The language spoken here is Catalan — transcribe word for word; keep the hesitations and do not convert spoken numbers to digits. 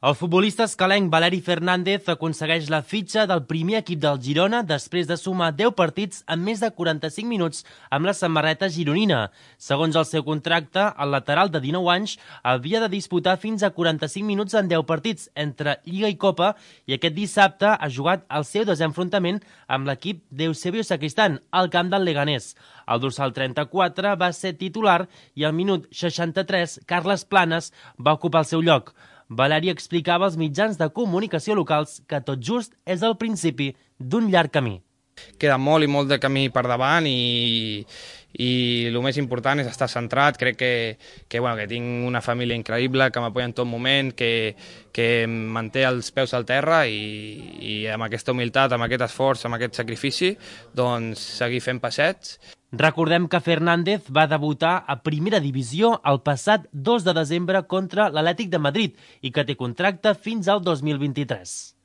El futbolista escalenc Valeri Fernández aconsegueix la fitxa del primer equip del Girona després de sumar deu partits en més de quaranta-cinc minuts amb la samarreta gironina. Segons el seu contracte, el lateral de dinou anys havia de disputar fins a quaranta-cinc minuts en deu partits entre Lliga i Copa i aquest dissabte ha jugat el seu desenfrontament amb l'equip d'Eusebio Sacristán al camp del Leganés. El dorsal trenta-quatre va ser titular i al minut seixanta-tres Carles Planes va ocupar el seu lloc. Valeri explicava als mitjans de comunicació locals que tot just és el principi d'un llarg camí. Queda molt i molt de camí per davant i, i el més important és estar centrat. Crec que, que, bueno, que tinc una família increïble que m'apoya en tot moment, que, que em manté els peus al terra i, i amb aquesta humilitat, amb aquest esforç, amb aquest sacrifici, doncs seguir fent passets. Recordem que Fernández va debutar a Primera Divisió el passat dos de desembre contra l'Atlètic de Madrid i que té contracte fins al dos mil vint-i-tres.